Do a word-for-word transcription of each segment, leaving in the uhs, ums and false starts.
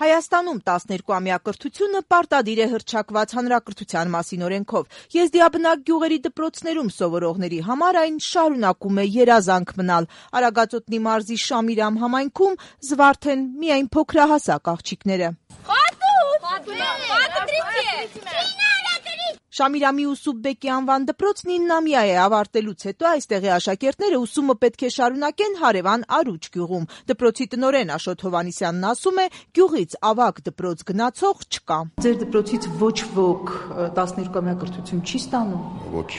Հայաստանում տասներկուամյա կրթությունը պարտադիր է հռչակված հանրակրթության մասին օրենքով։ Եզդիաբնակ գյուղերի դպրոցներում սովորողների համար այն շարունակում է երազանք մնալ։ Արագածոտնի մարզի Շամիրամ համայնքում զվարթ են միայն փոքրահասակ աղջիկները։ Շամիրամի Ուսուպբեկի անվան դպրոցն իննամյա է ավարտելուց հետո այստեղի աշակերտները ուսումը պետք է շարունակեն հարևան Արուջ գյուղում։ Դպրոցի տնօրեն Աշոտ Հովհաննիսյանն ասում է, գյուղից ավագ դպրոց գնացող չկա։ Ձեր դպրոցից ոչ ոք տասներկուամյա կրթություն չի ստանում։ Ոչ։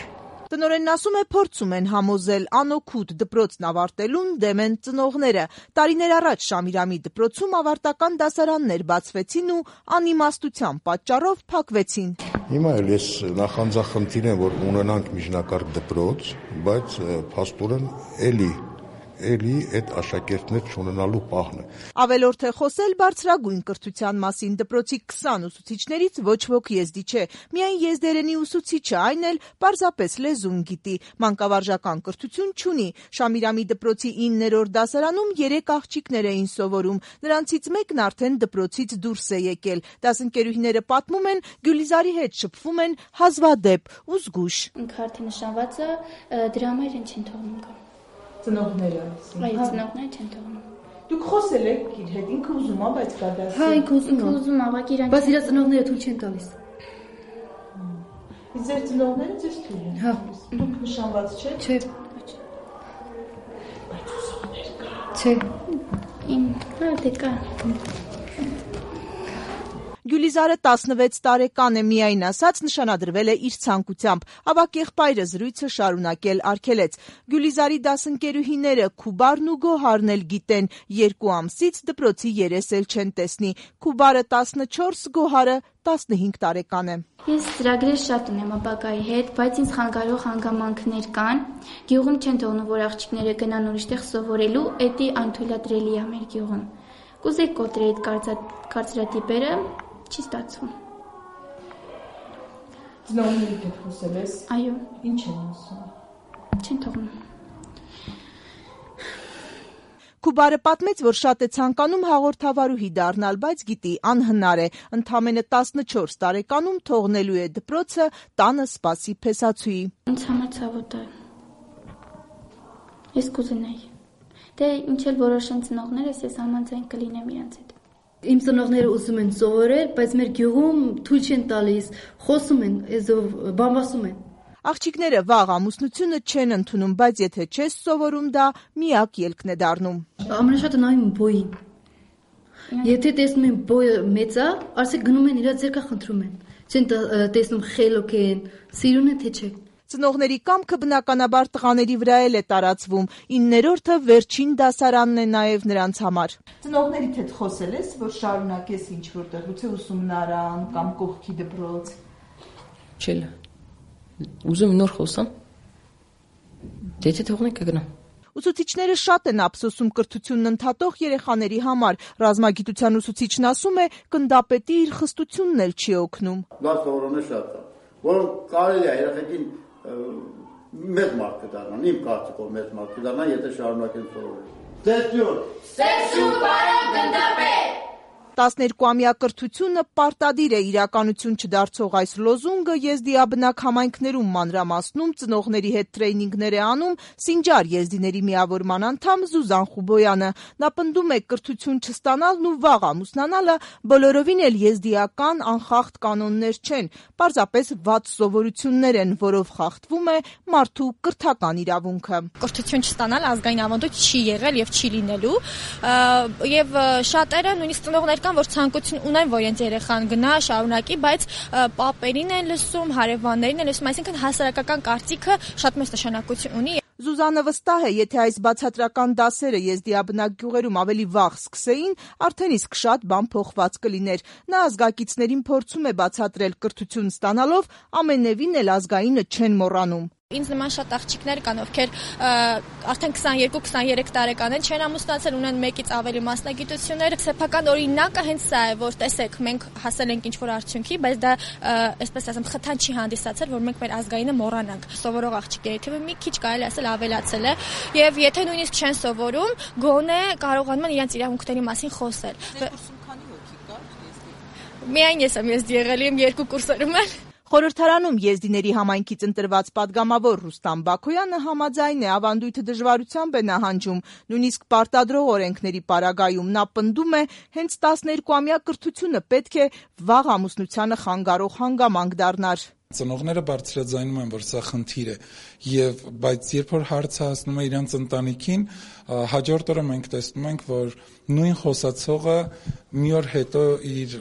Տնօրենն ասում է, փորձում են համոզել անօգուտ դպրոցն ավարտելուն դեմ են ծնողները։ Տարիներ առաջ Շամիրամի դպրոցում ավարտական դասարաններ բացվեցին ու անիմաստության պատճառով փակվեցին։ Հիմա էլ ես նախանձախնդիր եմ, որ ունենանք միջնակարգ դպրոց, բայց փաստորեն էլի էլի այդ աշակերտներ չունենալու պահն է։ Ավելորդ է խոսել բարձրագույն կրթության մասին դպրոցի քսան ուսուցիչներից ոչ ոք եզդի չէ։ Միայն եզդերենի ուսուցիչը, այն էլ պարզապես լեզուն գիտի, մանկավարժական կրթություն չունի։ Շամիրամի դպրոցի իններորդ դասարանում երեք աղջիկներ էին սովորում։ Նրանցից մեկն արդեն դպրոցից դուրս է եկել։ Դասընկերուհիները պատմում են, Գյուլիզարի հետ շփվում են հազվադեպ ու զգուշ։ Ինքը արդեն նշանված է, դրա համար են չեն թողնում գա։ Ծնողները։ Այո, ծնողները չեն թողնում։ Դուք խոսել եք իր հետ, ինքը ուզում է, բայց կա դասի։ Հա, ինքը ուզում է, ուզում է, բայց իրան բայց իր ծնողները թույլ չեն տալիս։ Իսկ ձեր ծնողները ձեզ թույլ են։ Հա։ Դուք նշանված չեք։ Չէ։ Բայց ուսողներ կա։ Չէ։ Ին, հա, դե կա։ Գյուլիզարը տասնվեց տարեկան է, միայն ասած նշանադրվել է իր ցանկությամբ։ Ավագ եղբայրը զրույցը շարունակել արգելեց։ Գյուլիզարի դասընկերուհիները Քուբարն ու Գոհարն էլ գիտեն, երկու ամսից դպրոցի երես էլ չեն տեսնի։ Քուբարը տասնչորս, Գոհարը տասնհինգ տարեկան է։ Ես ծրագրեր շատ ունեմ ապագայի հետ, բայց ինձ խանգարող հանգամանքներ կան։ Գյուղում չեն թողնում, որ աղջիկները գնան ուրիշտեղ սովորելու, էդի անթույլատրելի է մեր գյուղում։ Կուզեի կոտրել այդ կարծրատիպերը, չի ստացվում։ Ծնողների հետ խոսել ես։ Այո։ Ինչ են ասում։ Չեն թողնում։ Քուբարը պատմեց, որ շատ է ցանկանում հաղորդավարուհի դառնալ, բայց գիտի անհնար է։ Ընդամենը տասնչորս տարեկանում թողնելու է դպրոցը, տանը սպասի փեսացուի։ Ինձ համար ցավոտ է։ Ես կուզենայի։ Դե ինչ էլ որոշեն ծնողներս, ես համաձայն կլինեմ իրենց հետ։ Իմ ծնողները ուզում են սովորել, բայց մեր գյուղում թույլ չեն տալիս, խոսում են, էզով բամբասում են։ Աղջիկները վաղ ամուսնությունը չեն ընդունում, բայց եթե չես սովորում, դա միակ ելքն է դառնում։ Ամենաշատը նայում են բոյին։ Եթե տեսնում են բոյը մեծ է, արսեք գնում են իրար ձեռքը խնդրում են։ Չեն տեսնում խելոք են, սիրուն են թե չէ։ Ծնողների կամքը բնականաբար տղաների վրա էլ է տարածվում։ Իններորդը վերջին դասարանն է նաև նրանց համար։ Ծնողներիդ հետ խոսել ես, որ շարունակես ինչ որտեղ, գուցե ուսումնարան կամ կողքի դպրոց։ Չէ։ Ուզում նոր խոսամ։ Դե թե թողնենք կգնամ։ Ուսուցիչները շատ են ափսոսում կրթությունն ընդհատող երեխաների համար։ Ռազմագիտության ուսուցիչն ասում է, գնդապետի իր խստությունն էլ չի օգնում։ Լավ սովորողներ շատ կան, որոնք կարելի է երեխեքին մեծ մարդ կդառնան, իմ կարծիքով մեծ մարդ կդառնան, եթե շարունակեն սովորել։ Սեսյուն։ Սեսյուն, պարոն գնդապետ։ տասներկուամյա կրթությունը պարտադիր է իրականություն չդարձող այս լոզունգը եզդիաբնակ համայնքներում մանրամասնում ծնողների հետ տրեյնինգներ է անում Սինջար եզդիների միավորման անդամ Զուզան Խուբոյանը։ Նա պնդում է կրթություն չստանալն ու վաղ ամուսնանալը բոլորովին էլ եզդիական անխախտ կանոններ չեն, պարզապես վատ սովորություններ են, որով խախտվում է մարդու կրթական իրավունքը։ Կրթություն չստանալ ազգային ավանդույթ չի եղել եւ չի լինելու, եւ շատերը նույնիսկ ծնողներ կան, որ ցանկություն ունեն, որ իրենց երեխան գնա, շարունակի, բայց պապերին են լսում, հարևաններին են լսում, այսինքն հասարակական կարծիքը շատ մեծ նշանակություն ունի։ Զուզանը վստահ է, եթե այս բացատրական դասերը եզդիաբնակ գյուղերում ավելի վաղ սկսեին, արդեն իսկ շատ բան փոխված կլիներ։ Նա ազգակիցներին փորձում է բացատրել կրթություն ստանալով, ամենևին էլ ազգայինը չեն մոռանում։ Ինձ նման շատ աղջիկներ կան, ովքեր արդեն քսաներկու քսաներեք տարեկան են, չեն ամուսնացել, ունեն մեկից ավելի մասնագիտություններ։ Սեփական օրինակը հենց սա է, որ տեսեք, մենք հասել ենք ինչ-որ արդյունքի, բայց դա, այսպես ասեմ, խթան չի հանդիսացել, որ մենք մեր ազգայինը մոռանանք։ Սովորող աղջիկների թիվը մի քիչ կարելի ասել ավելացել է, եւ եթե նույնիսկ չեն սովորում, գոնե կարողանում են իրենց իրավունքների մասին խոսել։ Միայն ես եմ ես եղել եմ երկու կուրսերում էլ։ Խորհրդարանում եզդիների համայնքից ընտրված падգամավոր Ռուստամ Բաքոյանը համաձայն է ավանդույթը դժվարությամբ է նահանջում, նույնիսկ պարտադրող օրենքների պարագայում նա պնդում է, հենց տասներկուամյա կրթությունը պետք է վաղ ամուսնությանը խանգարող հանգամանք դառնար։ Ծնողները բարձրաձայնում են, որ սա խնդիր է, եւ բայց երբ որ հարցը հասնում է իրանց ընտանիքին, հաջորդ օրը մենք տեսնում ենք, որ նույն խոսացողը մի օր հետո իր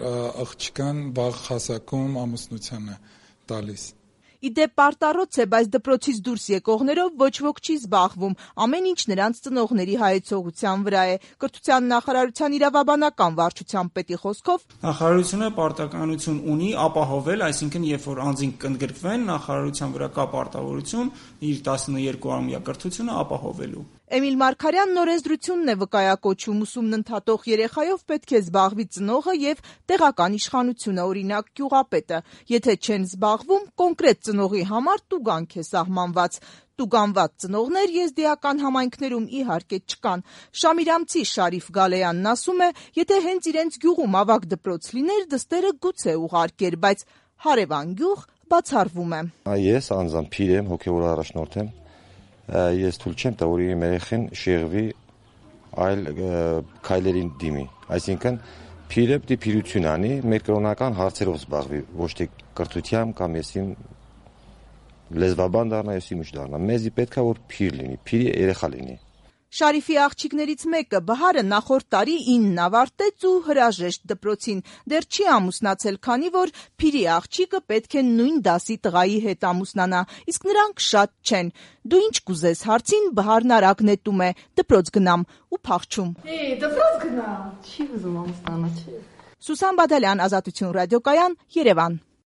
աղջկան վաղ հասակում ամուսնության է տալիս։ Իդեպ պարտառոց է, բայց դպրոցից դուրս եկողներով ոչ ոք չի զբաղվում, ամեն ինչ նրանց ծնողների հայեցողության վրա է։ Կրթության նախարարության իրավաբանական վարչության պետի խոսքով նախարարությունը պարտականություն ունի ապահովել, այսինքն երբ որ անձինք կընդգրկվեն, նախարարության վրա կա պարտավորություն իր տասներկուամյա կրթությունը ապահովելու։ Էմիլ Մարգարյանն օրենսդրությունն է վկայակոչում, ուսումն ընդհատող երեխայով պետք է զբաղվի ծնողը եւ տեղական իշխանությունը, օրինակ գյուղապետը։ Եթե չեն զբաղվում, կոնկրետ ծնողի համար տուգանք է սահմանված։ Տուգանված ծնողներ եզդիական համայնքներում իհարկե չկան։ Շամիրամցի Շարիֆ Գալեյանն ասում է, եթե հենց իրենց գյուղում ավագ դպրոց լիներ, դստերը գուցե ուղարկեր, բայց հարևան գյուղ բացառվում է։ Ես անձամբ փիր եմ, հոգևոր առաջնորդ եմ։ Ես թույլ չեմ տա, որ իմ երեխեն շեղվի այլ քայլերին դիմի։ Այսինքն փիրը պիտի փիրություն անի, մեր կրոնական հարցերով զբաղվի, ոչ թե կրթությամբ կամ եսիմ լեզվաբան դառնա, եսիմ ուշ դառնա։ Մեզի պետք է որ փիր լինի, փիրի երեխա լինի։ Շարիֆի աղջիկներից մեկը Բահարը նախորդ տարի ինն ավարտեց ու հրաժեշտ դպրոցին, դեռ չի ամուսնացել, քանի որ փիրի աղջիկը պետք է նույն դասի տղայի հետ ամուսնանա, իսկ նրանք շատ չեն։ Դու ինչ կուզես հարցին Բահարն արագ նետում է, դպրոց գնամ ու փախչում։ Էй, դպրոց գնամ։ Չի ուզում ամուսնանա, չէ։ Սուսան Բադալյան, Ազատություն ռադիոկայան, Երևան։